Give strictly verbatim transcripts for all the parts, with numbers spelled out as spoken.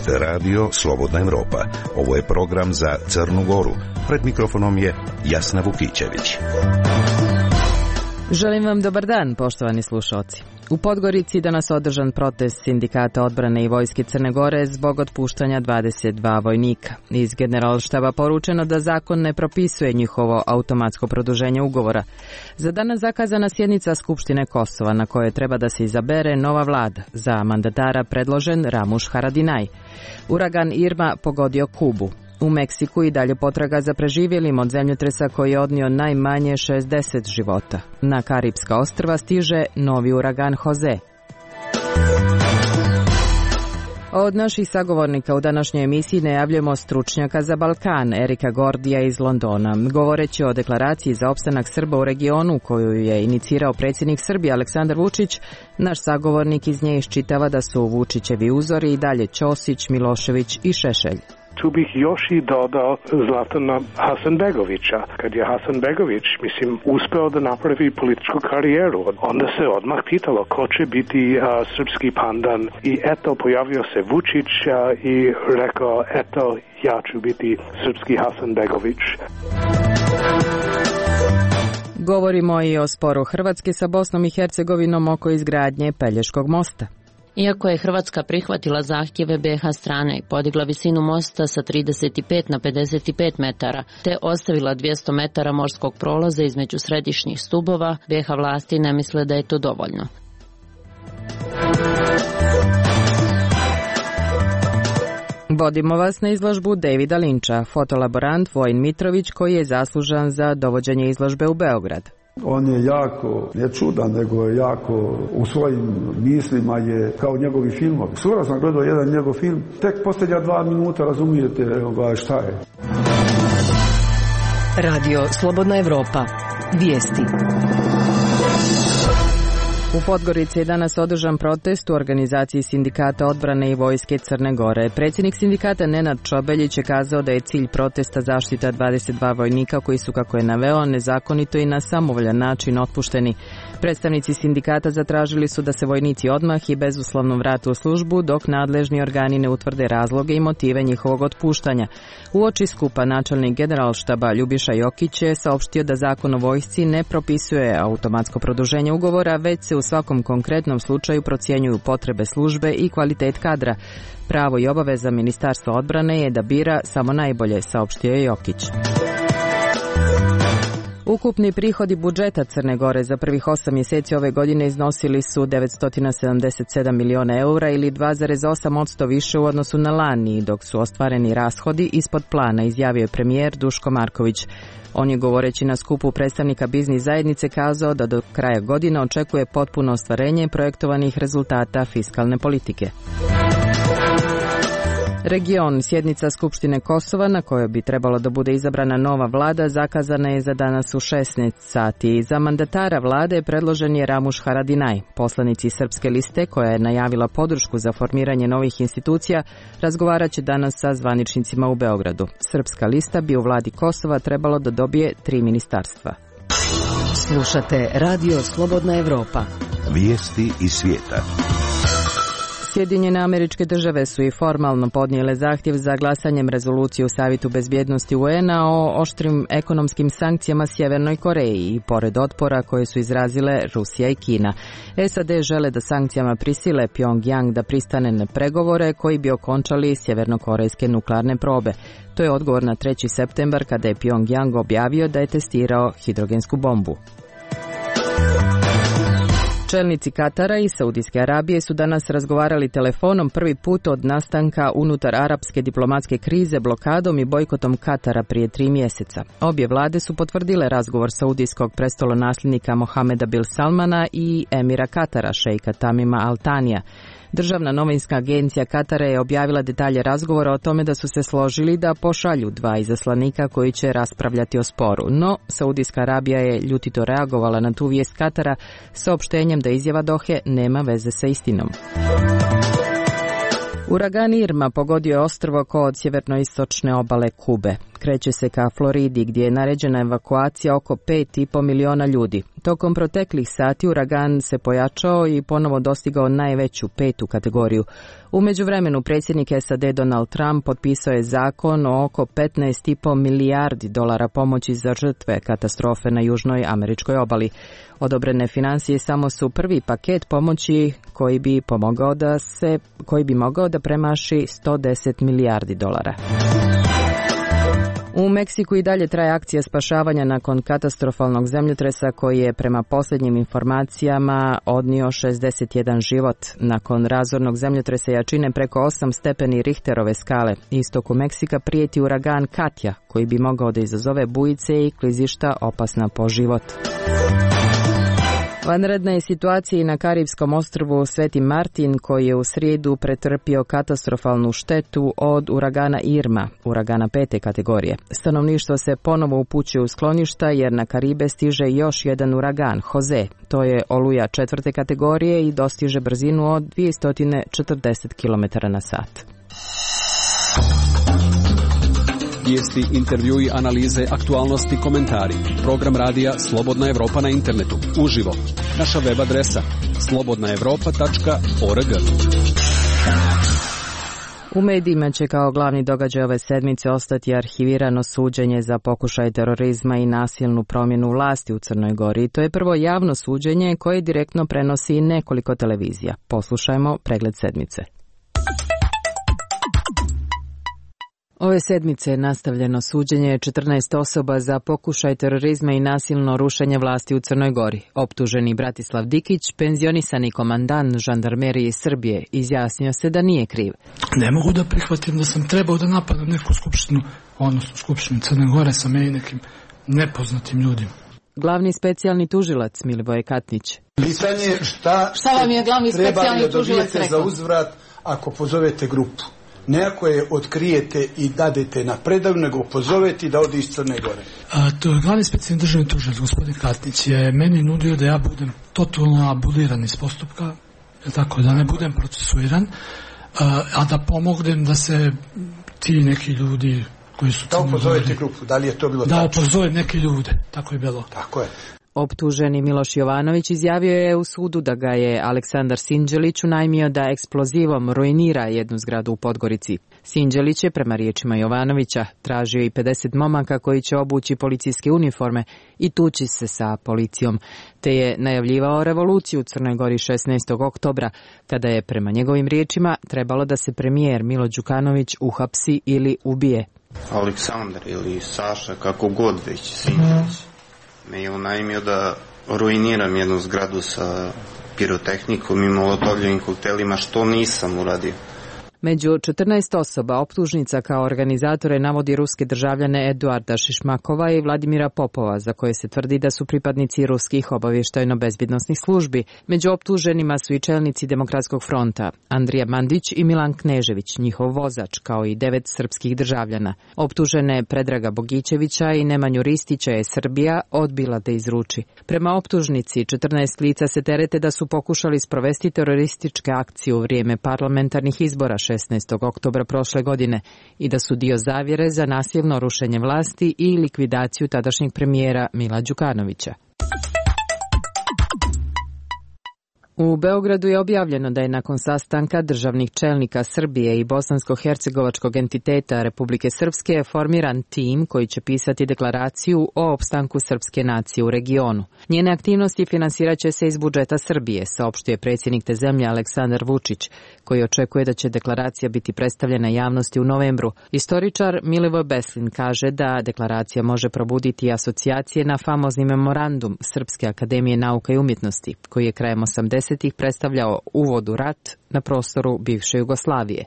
Slušate radio Slobodna Evropa. Ovo je program za Crnu Goru. Pred mikrofonom je Jasna Vukićević. Želim vam dobar dan, poštovani slušalci. U Podgorici danas održan protest Sindikata odbrane i vojske Crne Gore zbog otpuštanja dvadeset dva vojnika. Iz Generalštaba poručeno da zakon ne propisuje njihovo automatsko produženje ugovora. Za danas zakazana sjednica Skupštine Kosova na kojoj treba da se izabere nova vlada. Za mandatara predložen Ramuš Haradinaj. Uragan Irma pogodio Kubu. U Meksiku i dalje potraga za preživjelim od zemljotresa koji je odnio najmanje šezdeset života. Na Karipska ostrva stiže novi uragan Jose. Od naših sagovornika u današnjoj emisiji najavljujemo stručnjaka za Balkan, Erika Gordija iz Londona. Govoreći o deklaraciji za opstanak Srba u regionu koju je inicirao predsjednik Srbije Aleksandar Vučić, naš sagovornik iz nje iščitava da su Vučićevi uzori i dalje Ćosić, Milošević i Šešelj. Tu bih još i dodao Zlatana Hasanbegovića. Kad je Hasanbegović, mislim, uspeo da napravi političku karijeru, onda se odmah pitalo ko će biti a, srpski pandan. I eto, pojavio se Vučić a, i rekao, eto, ja ću biti srpski Hasanbegović. Govorimo i o sporu Hrvatske sa Bosnom i Hercegovinom oko izgradnje Pelješkog mosta. Iako je Hrvatska prihvatila zahtjeve be ha strane i podigla visinu mosta sa trideset pet na pedeset pet metara, te ostavila dvjesto metara morskog prolaza između središnjih stubova, be ha vlasti ne misle da je to dovoljno. Vodimo vas na izložbu Davida Linča, fotolaborant Vojin Mitrović koji je zaslužan za dovođenje izložbe u Beograd. On je jako, ne čudan, nego je jako u svojim mislima je kao njegovi filmovi. Skoro sam gledao jedan njegov film, tek posljednja dva minuta razumijete evo, šta je. Radio Slobodna Evropa. Vijesti. U Podgorici je danas održan protest u organizaciji Sindikata odbrane i vojske Crne Gore. Predsjednik sindikata Nenad Čobeljić je kazao da je cilj protesta zaštita dvadeset dva vojnika koji su, kako je naveo, nezakonito i na samovoljan način otpušteni. Predstavnici sindikata zatražili su da se vojnici odmah i bezuslovno vrate u službu dok nadležni organi ne utvrde razloge i motive njihovog otpuštanja. Uoči skupa načelnik Generalštaba Ljubiša Jokić je saopštio da zakon o vojsci ne propisuje automatsko produženje ugovora, već se u svakom konkretnom slučaju procjenjuju potrebe službe i kvalitet kadra. Pravo i obaveza Ministarstva odbrane je da bira samo najbolje, saopštio je Jokić. Ukupni prihodi budžeta Crne Gore za prvih osam mjeseci ove godine iznosili su devetsto sedamdeset sedam miliona eura ili dva zarez osam posto više u odnosu na lani, dok su ostvareni rashodi ispod plana, izjavio je premijer Duško Marković. On je, govoreći na skupu predstavnika biznis zajednice, kazao da do kraja godine očekuje potpuno ostvarenje projektovanih rezultata fiskalne politike. Region, sjednica Skupštine Kosova na kojoj bi trebalo da bude izabrana nova vlada, zakazana je za danas u šesnaest sati. Za mandatara vlade predložen je Ramuš Haradinaj. Poslanici Srpske liste, koja je najavila podršku za formiranje novih institucija, razgovarat će danas sa zvaničnicima u Beogradu. Srpska lista bi u vladi Kosova trebalo da dobije tri ministarstva. Slušate Radio Slobodna Evropa. Vijesti iz svijeta. Sjedinjene Američke Države su i formalno podnijele zahtjev za glasanjem rezolucije u Savjetu bezbjednosti u en a o oštrim ekonomskim sankcijama Sjevernoj Koreji i pored otpora koje su izrazile Rusija i Kina. es a de žele da sankcijama prisile Pyongyang da pristane na pregovore koji bi okončali sjevernokorejske nuklearne probe. To je odgovor na treći septembar kada je Pyongyang objavio da je testirao hidrogensku bombu. Čelnici Katara i Saudijske Arabije su danas razgovarali telefonom prvi put od nastanka unutar arapske diplomatske krize blokadom i bojkotom Katara prije tri mjeseca. Obje vlade su potvrdile razgovor saudijskog prestolonasljednika Mohameda bin Salmana i emira Katara, šejka Tamima Al Tanija. Državna novinska agencija Katara je objavila detalje razgovora o tome da su se složili da pošalju dva izaslanika koji će raspravljati o sporu. No, Saudijska Arabija je ljutito reagovala na tu vijest Katara saopštenjem da izjava Dohe nema veze sa istinom. Uragan Irma pogodio je ostrvo kod sjevernoistočne obale Kube. kreće se ka Floridi gdje je naređena evakuacija oko pet i po miliona ljudi. Tokom proteklih sati uragan se pojačao i ponovo dostigao najveću petu kategoriju. U međuvremenu predsjednik S A D Donald Trump potpisao je zakon o oko petnaest i po milijardi dolara pomoći za žrtve katastrofe na južnoj američkoj obali. Odobrene financije samo su prvi paket pomoći koji bi pomogao da se koji bi mogao da premaši sto deset milijardi dolara. U Meksiku i dalje traje akcija spašavanja nakon katastrofalnog zemljotresa koji je prema posljednjim informacijama odnio šezdeset jedan život. Nakon razornog zemljotresa jačine preko osam stepeni Richterove skale, istoku Meksika prijeti uragan Katja koji bi mogao da izazove bujice i klizišta opasna po život. Vanredna je situacija i na Karibskom ostrvu Sveti Martin koji je u srijedu pretrpio katastrofalnu štetu od uragana Irma, uragana pete kategorije. Stanovništvo se ponovo upućuje u skloništa jer na Karibe stiže još jedan uragan, Jose. To je oluja četvrte kategorije i dostiže brzinu od dvjesto četrdeset kilometara na sat. Vijesti, intervjui, analize, aktualnosti, komentari. Program radija Slobodna Evropa na internetu. Uživo. Naša web adresa slobodna evropa tačka org. U medijima će kao glavni događaj ove sedmice ostati arhivirano suđenje za pokušaj terorizma i nasilnu promjenu vlasti u Crnoj Gori. To je prvo javno suđenje koje direktno prenosi nekoliko televizija. Poslušajmo pregled sedmice. Ove sedmice je nastavljeno suđenje četrnaest osoba za pokušaj terorizma i nasilno rušenje vlasti u Crnoj Gori. Optuženi Bratislav Dikić, penzionisani komandant žandarmerije Srbije, izjasnio se da nije kriv. Ne mogu da prihvatim da sam trebao da napadam neku skupštinu, odnosno skupštinu Crne Gore sa meni nekim nepoznatim ljudima. Glavni specijalni tužilac Milivoje Katnić. Pitanje šta, šta vam je glavni specijalni tužilac rekao? Za uzvrat ako pozovete grupu. Ne ako je otkrijete i dadete na predaju, nego pozovete da ode iz Crne Gore. A, to je glavni specijalni državni tužilac, gospodin Katnić, je meni nudio da ja budem totalno abuliran iz postupka, tako da ne budem procesuiran, a, a da pomognem da se ti neki ljudi koji su... Da upozovete grupu, da li je to bilo da tačno? Da upozovem neke ljude, tako je bilo. Tako je. Optuženi Miloš Jovanović izjavio je u sudu da ga je Aleksandar Sinđelić unajmio da eksplozivom ruinira jednu zgradu u Podgorici. Sinđelić je, prema riječima Jovanovića, tražio i pedeset momaka koji će obući policijske uniforme i tući se sa policijom, te je najavljivao revoluciju u Crnoj Gori šesnaestog oktobra, kada je, prema njegovim riječima, trebalo da se premijer Milo Đukanović uhapsi ili ubije. Aleksandar ili Saša, kako god već, Sinđelić me je unajmio da ruiniram jednu zgradu sa pirotehnikom i molotovljivim koktelima, što nisam uradio. Među četrnaest osoba optužnica kao organizatore navodi ruske državljane Eduarda Šišmakova i Vladimira Popova, za koje se tvrdi da su pripadnici ruskih obavještajno-bezbjednosnih službi. Među optuženima su i čelnici Demokratskog fronta, Andrija Mandić i Milan Knežević, njihov vozač, kao i devet srpskih državljana. Optužene Predraga Bogićevića i Nemanju Ristića je Srbija odbila da izruči. Prema optužnici, četrnaest lica se terete da su pokušali sprovesti terorističke akcije u vrijeme parlamentarnih izbora šesnaestog oktobra prošle godine i da su dio zavjere za nasilno rušenje vlasti i likvidaciju tadašnjeg premijera Mila Đukanovića. U Beogradu je objavljeno da je nakon sastanka državnih čelnika Srbije i bosansko-hercegovačkog entiteta Republike Srpske formiran tim koji će pisati deklaraciju o opstanku srpske nacije u regionu. Njene aktivnosti finansirat će se iz budžeta Srbije, saopštio je predsjednik te zemlje Aleksandar Vučić, koji očekuje da će deklaracija biti predstavljena javnosti u novembru. Istoričar Milivoj Beslin kaže da deklaracija može probuditi asocijacije na famozni memorandum Srpske akademije nauka i umjetnosti, koji je krajem osamdesetih predstavljao uvod u rat na prostoru bivše Jugoslavije.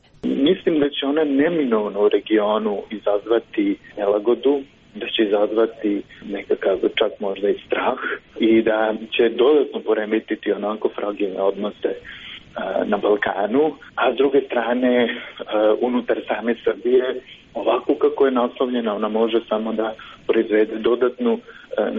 Mislim da će ona neminovno u regionu izazvati nelagodu, da će izazvati nekakav čak možda i strah i da će dodatno poremetiti onako fragilne odnose na Balkanu, a s druge strane unutar same Srbije ovako kako je naslovljena ona može samo da proizvede dodatnu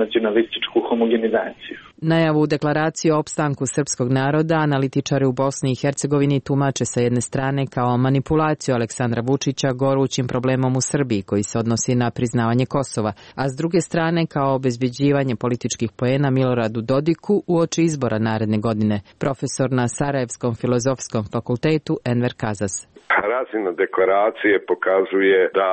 nacionalističku homogenizaciju. Najavu deklaracije o opstanku srpskog naroda analitičari u Bosni i Hercegovini tumače sa jedne strane kao manipulaciju Aleksandra Vučića gorućim problemom u Srbiji koji se odnosi na priznavanje Kosova, a s druge strane kao obezbeđivanje političkih poena Miloradu Dodiku uoči izbora naredne godine. Profesor na Sarajevskom filozofskom fakultetu Enver Kazas. Razina deklaracije pokazuje da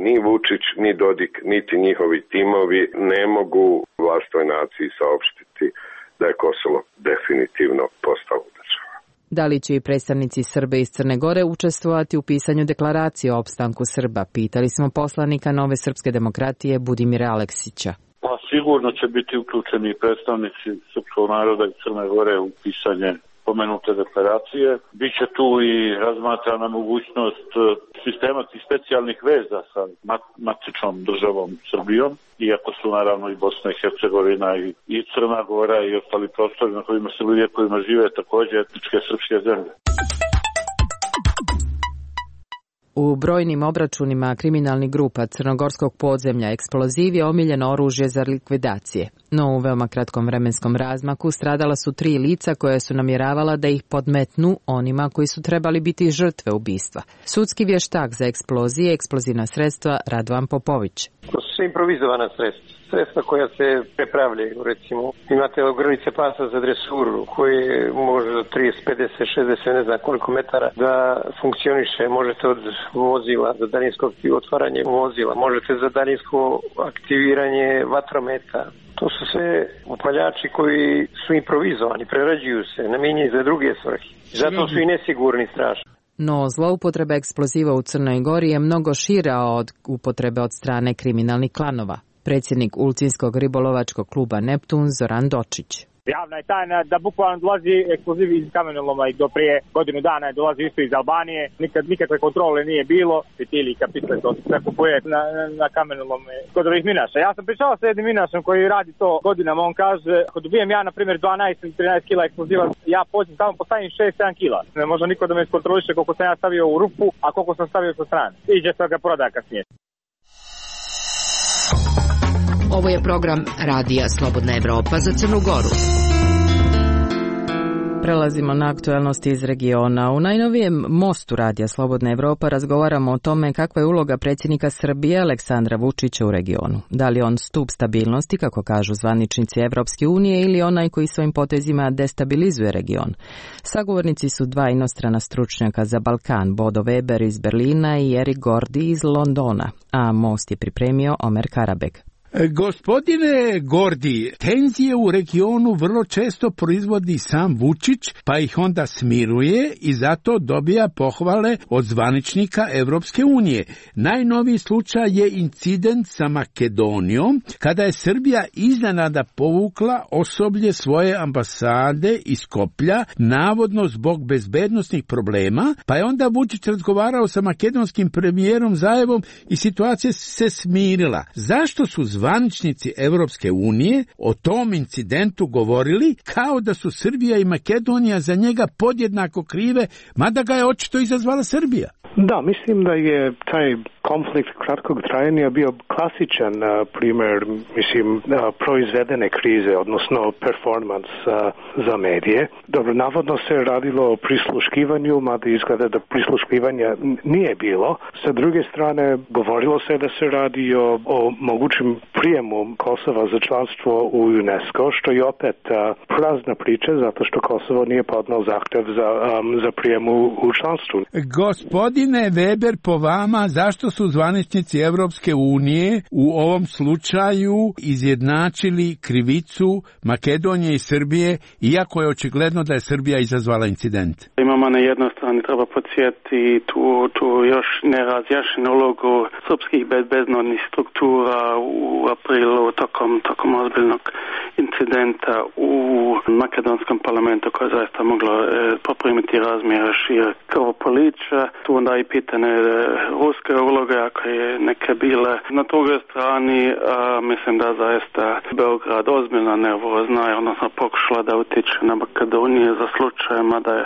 ni Vučić, ni Dodik, niti njihovi timovi ne mogu vlastnoj naciji saopštiti da je Kosovo definitivno postalo država. Da li će i predstavnici Srbe iz Crne Gore učestvovati u pisanju deklaracije o opstanku Srba? Pitali smo poslanika Nove srpske demokratije Budimira Aleksića. Pa sigurno će biti uključeni predstavnici srpskog naroda i Crne Gore u pisanje pomenute deklaracije. Biće tu i razmatrana mogućnost sistematskih specijalnih veza sa matičnom državom Srbijom, iako su naravno i Bosna i Hercegovina i, i Crna Gora i ostali prostori na kojima se ljudi kojima žive također etničke srpske zemlje. U brojnim obračunima kriminalnih grupa crnogorskog podzemlja eksploziv je omiljeno oružje za likvidacije. No u veoma kratkom vremenskom razmaku stradala su tri lica koje su namjeravala da ih podmetnu onima koji su trebali biti žrtve ubistva. Sudski vještak za eksplozije i eksplozivna sredstva Radovan Popović. To su sve improvizovana sredstva. Sredstva koja se prepravljaju, recimo. Imate ogrlice pasa za dresuru koje može do trideset, pedeset, šezdeset, ne znam koliko metara da funkcioniše. Možete od vozila za daljinsko otvaranje vozila, možete za daljinsko aktiviranje vatrometa. To su sve upaljači koji su improvizovani, prerađuju se, namijenjeni za druge svrhe. Zato su i nesigurni strašno. No, zloupotreba eksploziva u Crnoj Gori je mnogo šira od upotrebe od strane kriminalnih klanova. Predsjednik Ulcinskog ribolovačkog kluba Neptun Zoran Dočić. Javna je tajna da bukvalno dolazi eksploziv iz kamenoloma i do prije godinu dana je dolazi isto iz Albanije. Nikad nikakve kontrole nije bilo. Fitili i kapitle to sve kupuje na, na kamenolome kod ovih minaša. Ja sam pričao sa jednim minašom koji radi to godinama. On kaže, ako dobijem ja na primjer dvanaest ili trinaest kila eksploziva, ja pođem tamo postavim šest sedam kila. Ne može niko da me iskontroliše koliko sam ja stavio u rupu, a koliko sam stavio sa strane. Iđe se ga proda kasnije. Ovo je program Radija Slobodna Evropa za Crnu Goru. Prelazimo na aktuelnosti iz regiona. U najnovijem mostu Radija Slobodna Evropa razgovaramo o tome kakva je uloga predsjednika Srbije Aleksandra Vučića u regionu. Da li on stup stabilnosti, kako kažu zvaničnici Evropske unije, ili onaj koji svojim potezima destabilizuje region. Sagovornici su dva inostrana stručnjaka za Balkan, Bodo Weber iz Berlina i Erik Gordi iz Londona, a most je pripremio Omer Karabeg. Gospodine Gordi, tenzije u regionu vrlo često proizvodi sam Vučić, pa ih onda smiruje i zato dobija pohvale od zvaničnika Evropske unije. Najnoviji slučaj je incident sa Makedonijom, kada je Srbija iznenada povukla osoblje svoje ambasade iz Skoplja, navodno zbog bezbednosnih problema, pa je onda Vučić razgovarao sa makedonskim premijerom Zajevom i situacija se smirila. Zašto su zvaničnici Evropske unije o tom incidentu govorili kao da su Srbija i Makedonija za njega podjednako krive, mada ga je očito izazvala Srbija? Da, mislim da je taj konflikt kratkog trajanja bio klasičan uh, primjer, mislim, uh, proizvedene krize, odnosno performans uh, za medije. Dobro, navodno se radilo o prisluškivanju, mada izgleda da prisluškivanja nije bilo. Sa druge strane, govorilo se da se radi o, o mogućem prijemu Kosova za članstvo u UNESCO, što je opet uh, prazna priča, zato što Kosovo nije podneo zahtev za, um, za prijem u, u članstvu. Gospodine Weber, po vama, zašto su zvaničnici Evropske unije u ovom slučaju izjednačili krivicu Makedonije i Srbije, iako je očigledno da je Srbija izazvala incident? Imamo na jednoj strani, treba podsjetiti tu, tu još nerazjašnjenu ulogu srpskih bezbednostnih struktura u aprilu tokom, tokom ozbiljnog incidenta u makedonskom parlamentu koje je zaista moglo e, poprimiti razmjere šire krvoprolića. Tu onda i pitanje e, ruske uloge, ako je neke bile. Na drugoj strani a, mislim da zaista Beograd ozbiljno nervozna je, odnosno pokušala da utiče na Makedonije za slučajima da je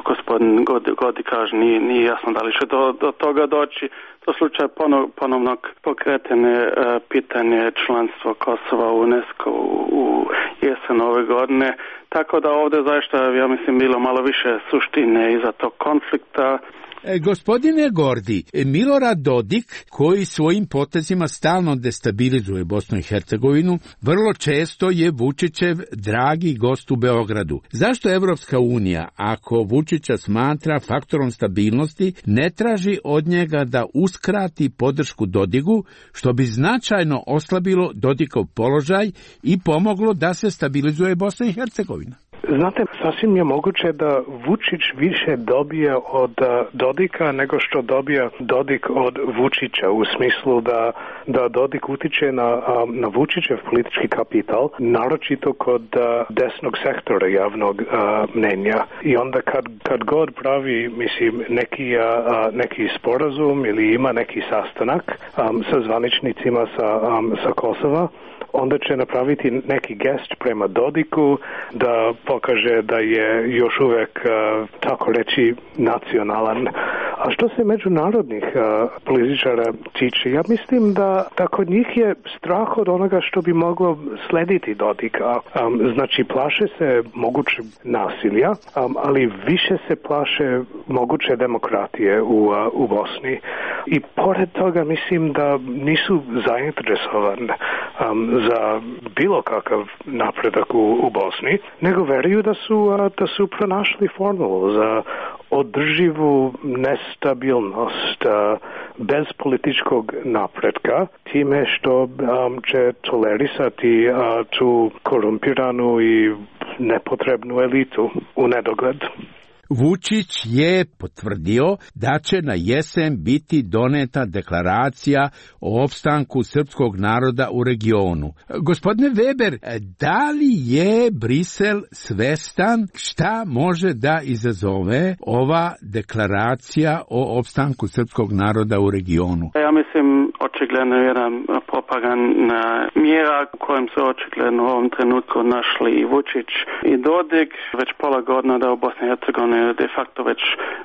gospodin Godi, Godi kaže, nije, nije jasno da li će do, do toga doći. To slučaj ponov, ponovnog pokretene uh, pitanje članstva Kosova u UNESCO u, u jesen ove godine. Tako da ovdje zaista, ja mislim, bilo malo više suštine iza tog konflikta. E, gospodine Gordi, Milorad Dodik, koji svojim potezima stalno destabilizuje Bosnu i Hercegovinu, vrlo često je Vučićev dragi gost u Beogradu. Zašto Evropska unija, ako Vučića smatra faktorom stabilnosti, ne traži od njega da uskrati podršku Dodigu, što bi značajno oslabilo Dodikov položaj i pomoglo da se stabilizuje Bosna i Hercegovina? Znate, sasvim je moguće da Vučić više dobije od Dodika nego što dobija Dodik od Vučića, u smislu da, da Dodik utiče na, na Vučićev politički kapital, naročito kod desnog sektora javnog mnenja. I onda kad, kad god pravi, mislim, neki, neki sporazum ili ima neki sastanak sa zvaničnicima sa, sa Kosova, onda će napraviti neki gest prema Dodiku da pokaže da je još uvek, uh, tako reći, nacionalan. A što se međunarodnih uh, političara tiče, ja mislim da, da kod njih je strah od onoga što bi moglo slediti Dodika. Um, znači, plaše se moguće nasilja, um, ali više se plaše moguće demokratije u, uh, u Bosni. I pored toga mislim da nisu zainteresovani um, za bilo kakav napredak u, u Bosni, nego veruju da su, uh, da su pronašli formulu za održivu nestabilnost uh, bez političkog napretka, time što um, će tolerisati uh, tu korumpiranu i nepotrebnu elitu u nedogled. Vučić je potvrdio da će na jesen biti doneta deklaracija o opstanku srpskog naroda u regionu. Gospodine Weber, da li je Brisel svestan šta može da izazove ova deklaracija o opstanku srpskog naroda u regionu? Ja mislim, očigledno je jedna propagandna mjera u kojem se očigledno u ovom trenutku našli i Vučić i Dodik. Već pola godina da u Bosni i Hercegovini de facto već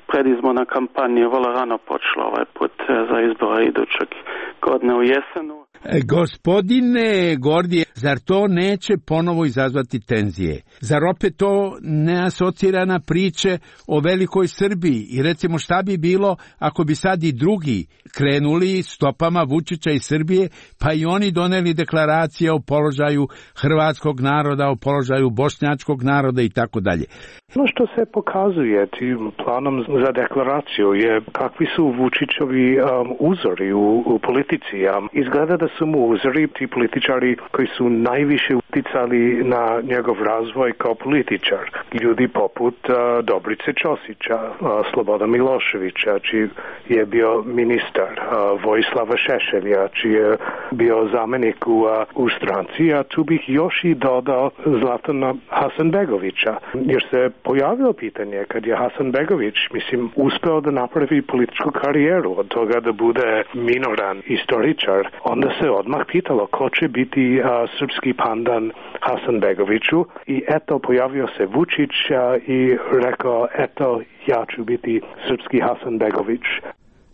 predizborna kampanja vrlo rano počela ovaj put za izbore idućeg godine u jesenu. Gospodine Gordije, zar to neće ponovo izazvati tenzije? Zar opet to ne asocira na priče o velikoj Srbiji? I recimo šta bi bilo ako bi sad i drugi krenuli stopama Vučića i Srbije, pa i oni doneli deklaracije o položaju hrvatskog naroda, o položaju bošnjačkog naroda i tako dalje. Ono što se pokazuje tim planom za deklaraciju je kakvi su Vučićovi um, uzori u, u politici. Um, izgleda da su mu uzori ti političari koji su najviše uticali na njegov razvoj kao političar. Ljudi poput uh, Dobrice Ćosića, uh, Sloboda Miloševića, čiji je bio ministar, uh, Vojislava Šešelja, čiji je bio zamenik u, uh, u stranci, a tu bih još i dodao Zlatana Hasanbegovića, jer se pojavilo pitanje kad je Hasanbegović, mislim, uspeo da napravi političku karijeru od toga da bude minoran istoričar, onda se odmah pitalo ko će biti a, srpski pandan Hasanbegoviću i eto pojavio se Vučić a, i rekao eto ja ću biti srpski Hasanbegović.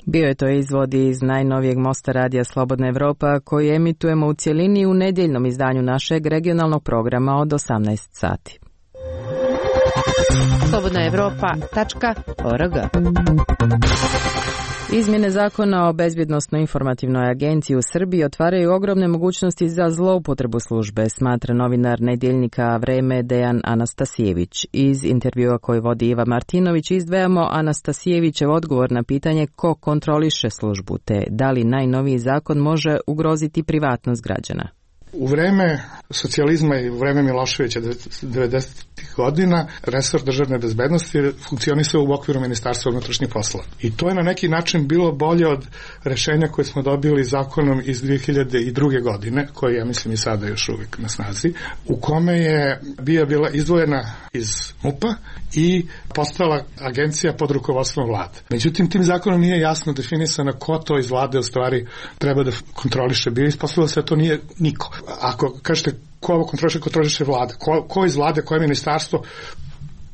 Bio je to izvod iz najnovijeg Mosta radija Slobodna Evropa koji emitujemo u cjelini u nedjeljnom izdanju našeg regionalnog programa od osamnaest sati. slobodna evropa tačka org. Izmjene zakona o bezbjednosno-informativnoj agenciji u Srbiji otvaraju ogromne mogućnosti za zloupotrebu službe, smatra novinar nedjeljnika Vreme Dejan Anastasijević. Iz intervjua koji vodi Iva Martinović izdvajamo Anastasijevićev odgovor na pitanje ko kontroliše službu, te da li najnoviji zakon može ugroziti privatnost građana. U vreme socijalizma i u vreme Miloševića devedesetih godina resor državne bezbednosti funkcionisao u okviru Ministarstva unutrašnjih poslova. I to je na neki način bilo bolje od rešenja koje smo dobili zakonom iz dve hiljade druge. godine, koji ja mislim i sada još uvijek na snazi, u kome je bija bila izdvojena iz MUP-a i postala agencija pod rukovodstvom vlade. Međutim, tim zakonom nije jasno definisano ko to iz vlade u stvari treba da kontroliše. Bio ispostavilo se da to nije niko. Ako kažete ko ovo kontroliše, kontroliše vlada. Ko, ko iz vlade, koje ministarstvo,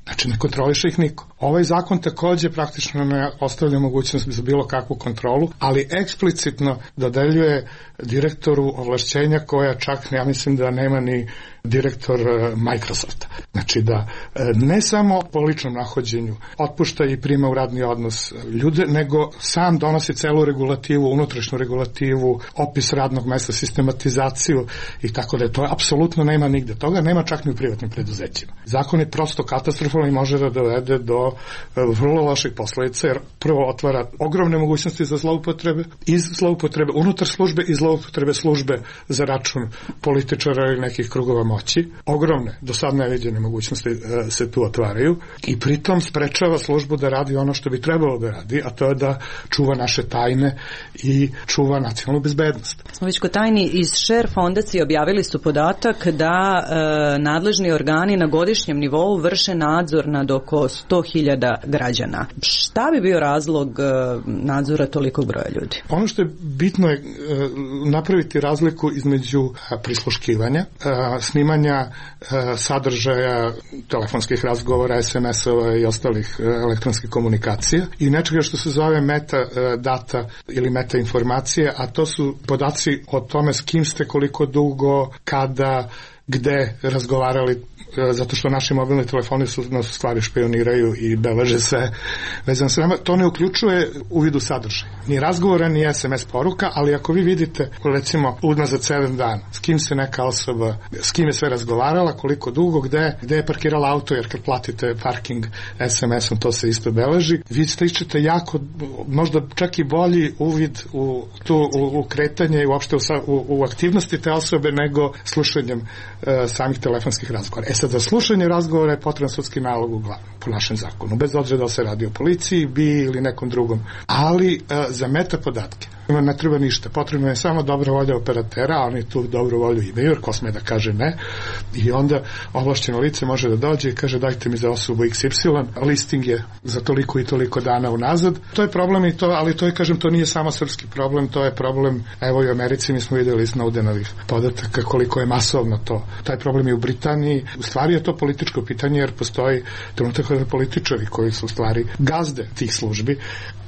Znači ne kontroliše ih niko. Ovaj zakon takođe praktično ne ostavlja mogućnost za bilo kakvu kontrolu, ali eksplicitno dodeljuje direktoru ovlašćenja koja čak, ja mislim da nema ni direktor Microsofta. Znači da ne samo po ličnom nahođenju otpušta i prima u radni odnos ljude, nego sam donosi celu regulativu, unutrašnju regulativu, opis radnog mesta, sistematizaciju i tako da je to apsolutno nema nigde. Toga nema čak ni u privatnim preduzećima. Zakon je prosto katastrofalan i može da dovede do vrlo loših posledica, jer prvo otvara ogromne mogućnosti za zloupotrebe, iz zloupotrebe unutar službe i zloupotrebe službe za račun političara ili nekih krugova moći. Ogromne, do sad neviđene mogućnosti e, se tu otvaraju i pritom sprečava službu da radi ono što bi trebalo da radi, a to je da čuva naše tajne i čuva nacionalnu bezbednost. Smo već kod tajni, iz Share fondacije objavili su podatak da e, nadležni organi na godišnjem nivou vrše nadzor nad oko sto hiljada građana. Šta bi bio razlog e, nadzora tolikog broja ljudi? Ono što je bitno je e, napraviti razliku između prisluškivanja, e, snimanja e, sadržaja telefonskih razgovora, es em es-ova i ostalih e, elektronskih komunikacija i nečega što se zove meta e, data ili meta informacije, a to su podaci o tome s kim ste, koliko dugo, kada, gde razgovarali, zato što naši mobilni telefoni su nas u stvari špioniraju i beleže sve vezano sa nama. To ne uključuje uvid u sadržaj. Ni razgovora, ni es em es poruka, ali ako vi vidite, recimo, unazad sedam dana, s kim se neka osoba, s kim je sve razgovarala, koliko dugo, gde, gde je parkirala auto, jer kad platite parking es em esom, to se isto beleži, vi stičete jako, možda čak i bolji uvid u, tu, u, u kretanje i uopšte u, u, u aktivnosti te osobe nego slušanjem e, samih telefonskih razgovora. E sad, za slušanje razgovora je potreban sudski nalog uglavnom po našem zakonu, bez obzira da se radi o policiji, bi ili nekom drugom. Ali e, za meta podatke ne treba ništa, potrebno je samo dobra volja operatera, a oni tu dobru volju imaju, jer ko sme da kaže ne, i onda ovlašćeno lice može da dođe i kaže dajte mi za osobu iks ipsilon, listing je za toliko i toliko dana unazad. To je problem i to, ali to je, kažem, to nije samo srpski problem, to je problem, evo i u Americi mi smo videli iz Snowdenovih podataka koliko je masovno to. Taj problem je u Britaniji, u stvari je to političko pitanje, jer postoji trenutak kada političari koji su u stvari gazde tih službi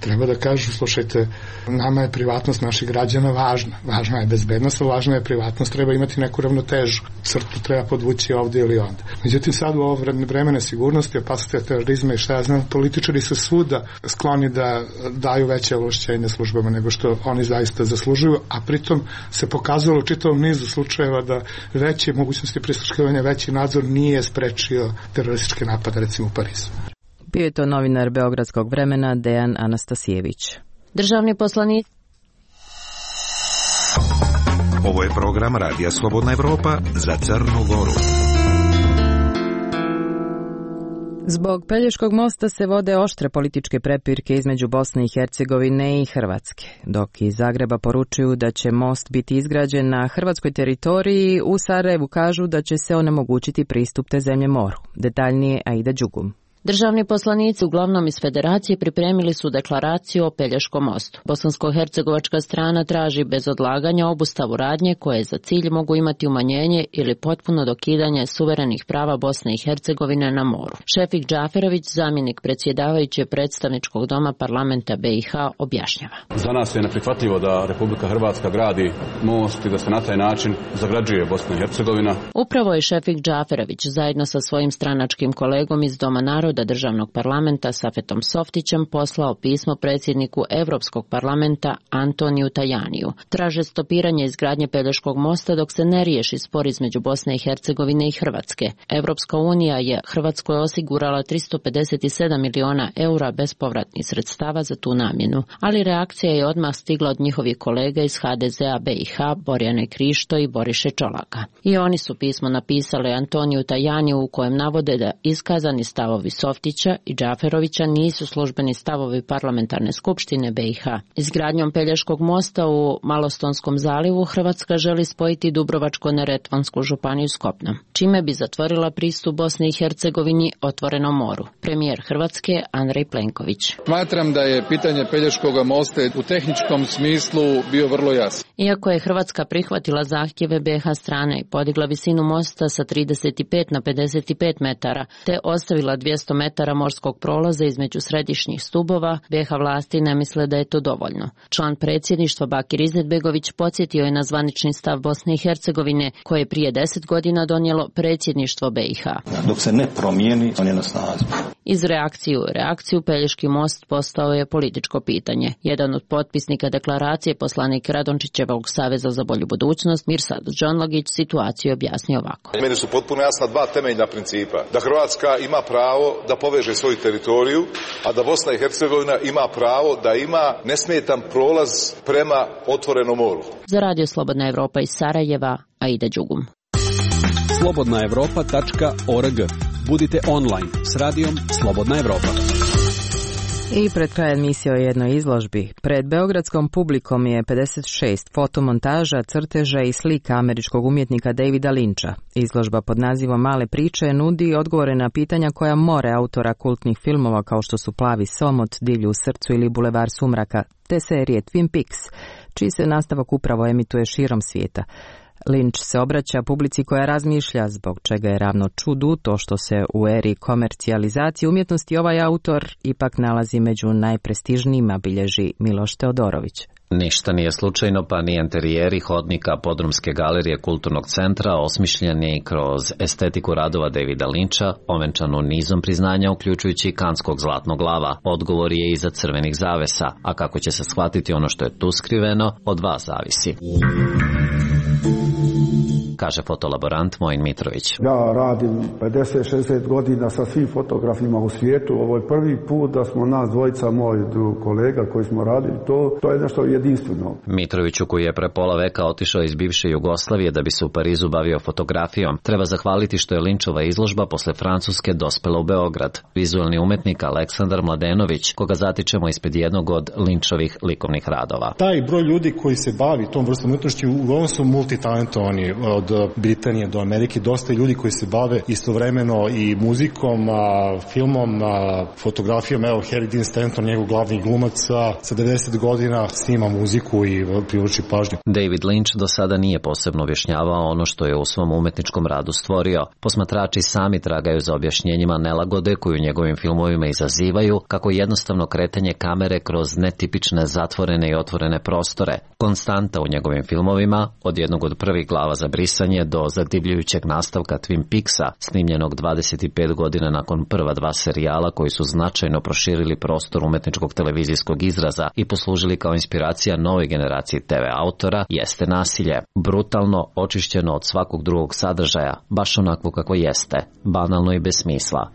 treba da kažu, slušajte, nama je privatnost naših građana važna. Važna je bezbednost, važna je privatnost, treba imati neku ravnotežu. Crtu treba podvući ovdje ili onda. Međutim, sad u ovo vreme nesigurnosti, opasnosti terorizma i šta ja znam, političari su svuda skloni da daju veće ovlašćenja službama nego što oni zaista zaslužuju, a pritom se pokazalo u čitavom nizu slučajeva da veće mogućnosti prisluškivanja, veći nadzor nije sprečio terorističke napade, recimo u Parizu. Bio je to novinar Beogradskog vremena Dejan Anastasijević. Državni poslanik. Ovo je program Radija Slobodna Evropa za Crnu Goru. Zbog Pelješkog mosta se vode oštre političke prepirke između Bosne i Hercegovine i Hrvatske. Dok iz Zagreba poručuju da će most biti izgrađen na hrvatskoj teritoriji, u Sarajevu kažu da će se onemogućiti pristup te zemlje moru. Detaljnije Aida Đugum. Državni poslanici, uglavnom iz Federacije, pripremili su deklaraciju o Pelješkom mostu. Bosansko-hercegovačka strana traži bez odlaganja obustavu radnje koje za cilj mogu imati umanjenje ili potpuno dokidanje suverenih prava Bosne i Hercegovine na moru. Šefik Džaferović, zamjenik predsjedavajuće predstavničkog doma parlamenta be i ha, objašnjava. Za nas je neprihvatljivo da Republika Hrvatska gradi most i da se na taj način zagrađuje Bosna i Hercegovina. Upravo je Šefik Džaferović zajedno sa svojim stranačkim kolegom iz Doma naroda državnog parlamenta Safetom Softićem poslao pismo predsjedniku Evropskog parlamenta Antoniju Tajaniju. Traže stopiranje izgradnje Pelješkog mosta dok se ne riješi spor između Bosne i Hercegovine i Hrvatske. Evropska unija je Hrvatskoj osigurala tristo pedeset sedam miliona eura bespovratnih sredstava za tu namjenu, ali reakcija je odmah stigla od njihovih kolega iz ha de zea be i ha, Borjane Krišto i Boriše Čolaka. I oni su pismo napisali Antoniju Tajaniju u kojem navode da iskazani stavovi Softića i Džaferovića nisu službeni stavovi parlamentarne skupštine be i ha. Izgradnjom Pelješkog mosta u Malostonskom zalivu Hrvatska želi spojiti Dubrovačko-neretvansku županiju s kopnom, čime bi zatvorila pristup Bosni i Hercegovini otvorenom moru. Premijer Hrvatske Andrej Plenković. Smatram da je pitanje Pelješkog mosta u tehničkom smislu bio vrlo jasan. Iako je Hrvatska prihvatila zahtjeve be ha strane i podigla visinu mosta sa trideset pet na pedeset pet metara, te ostavila dvjesto dvjesto metara morskog prolaza između središnjih stubova, B iH vlasti ne misle da je to dovoljno. Član predsjedništva Bakir Izetbegović podsjetio je na zvanični stav Bosne i Hercegovine koje je prije deset godina donijelo predsjedništvo B iH. Dok se ne promijeni, on je na snazi. Iz reakcije u reakciju Pelješki most postao je političko pitanje. Jedan od potpisnika deklaracije, poslanik Radončićevog Saveza za bolju budućnost, Mirsad Džonlagić, situaciju objasnio ovako. Meni su potpuno jasna dva temeljna principa. Da Hrvatska ima pravo da poveže svoju teritoriju, a da Bosna i Hercegovina ima pravo da ima nesmetan prolaz prema otvorenom moru. Za Radio Slobodna Evropa iz Sarajeva, Aida Đugum. slobodna evropa tačka org. Budite online s radijom Slobodna Evropa. I pred kraj emisije o jednoj izložbi. Pred beogradskom publikom je pedeset šest fotomontaža, crteža i slika američkog umjetnika Davida Lyncha. Izložba pod nazivom Male priče nudi odgovore na pitanja koja more autora kultnih filmova kao što su Plavi somot, Divlju u srcu ili Bulevar sumraka, te serije Twin Peaks, čiji se nastavak upravo emituje širom svijeta. Lynch se obraća publici koja razmišlja, zbog čega je ravno čudu to što se u eri komercijalizacije umjetnosti ovaj autor ipak nalazi među najprestižnijima, bilježi Miloš Teodorović. Ništa nije slučajno, pa ni enterijeri hodnika Podrumske galerije kulturnog centra osmišljeni kroz estetiku radova Davida Lyncha, ovenčanu nizom priznanja uključujući Kanskog zlatnog lava. Odgovor je iza crvenih zavesa, a kako će se shvatiti ono što je tu skriveno, od vas zavisi. Kaže fotolaborant Mojin Mitrović. Ja radim pedeset šezdeset godina sa svim fotografima u svijetu. Ovo je prvi put da smo nas dvojica, moj kolega koji smo radili to, to je nešto jedinstveno. Mitroviću, koji je pre pola veka otišao iz bivše Jugoslavije da bi se u Parizu bavio fotografijom, treba zahvaliti što je Lynchova izložba posle Francuske dospela u Beograd. Vizualni umetnik Aleksandar Mladenović, koga zatičemo ispred jednog od Lynchovih likovnih radova. Taj broj ljudi koji se bavi tom vrstom umetnosti uglavnom su multitalentovani, od Britanije do Amerike, dosta ljudi koji se bave istovremeno i muzikom, a, filmom, a, fotografijom. Evo, Harry Dean Stanton, njegov glavni glumac, a, sa devedeset godina snima muziku i privlači pažnju. David Lynch do sada nije posebno objašnjavao ono što je u svom umetničkom radu stvorio. Posmatrači sami tragaju za objašnjenjima nelagode koju u njegovim filmovima izazivaju, kako jednostavno kretanje kamere kroz netipične zatvorene i otvorene prostore. Konstanta u njegovim filmovima, od jednog od prvih glava za brisanje do zadivljujućeg nastavka Twin Peaksa, snimljenog dvadeset pet godina nakon prva dva serijala koji su značajno proširili prostor umetničkog televizijskog izraza i poslužili kao inspiracija novoj generaciji te ve autora, jeste nasilje. Brutalno, očišćeno od svakog drugog sadržaja, baš onako kako jeste, banalno i bez smisla.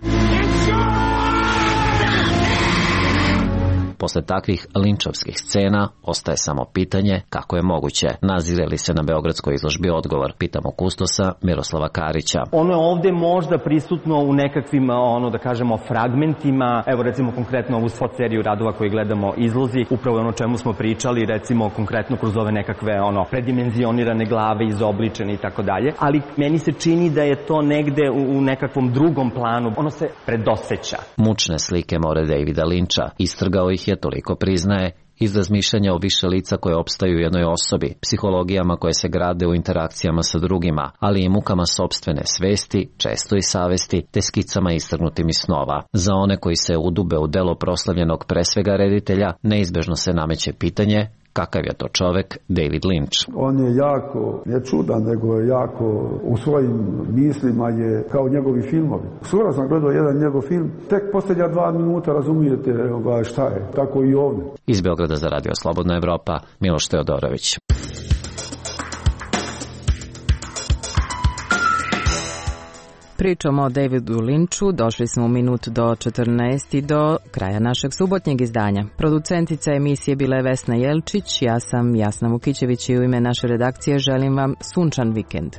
Posle takvih linčovskih scena ostaje samo pitanje kako je moguće. Nazire li se na beogradskoj izložbi odgovor? Pitamo kustosa Miroslava Karića. Ono je ovde možda prisutno u nekakvim, ono da kažemo, fragmentima. Evo recimo konkretno ovu spot seriju radova koji gledamo izlozi, upravo ono o čemu smo pričali, recimo konkretno kroz ove nekakve ono predimenzionirane glave, izobličene i tako dalje. Ali meni se čini da je to negde u, u nekakvom drugom planu. Ono se predoseća. Mučne slike more Davida Lyncha. Istrgao ih je, toliko priznaje, iz razmišljanja o više lica koje opstaju u jednoj osobi, psihologijama koje se grade u interakcijama sa drugima, ali i mukama sopstvene svesti, često i savesti, te skicama istrgnutim iz snova. Za one koji se udube u delo proslavljenog pre svega reditelja, neizbežno se nameće pitanje kakav je to čovek David Lynch. On je jako, ne čudan, nego je jako u svojim mislima je kao njegovi filmovi. Skoro sam gledao jedan njegov film, tek posljednja dva minuta razumijete šta je, tako i ovdje. Iz Beograda za Radio Slobodna Evropa, Miloš Teodorović. Pričom o Davidu Lynchu došli smo u minut do četrnaest i do kraja našeg subotnjeg izdanja. Producentica emisije bila je Vesna Jelčić, ja sam Jasna Vukićević i u ime naše redakcije želim vam sunčan vikend.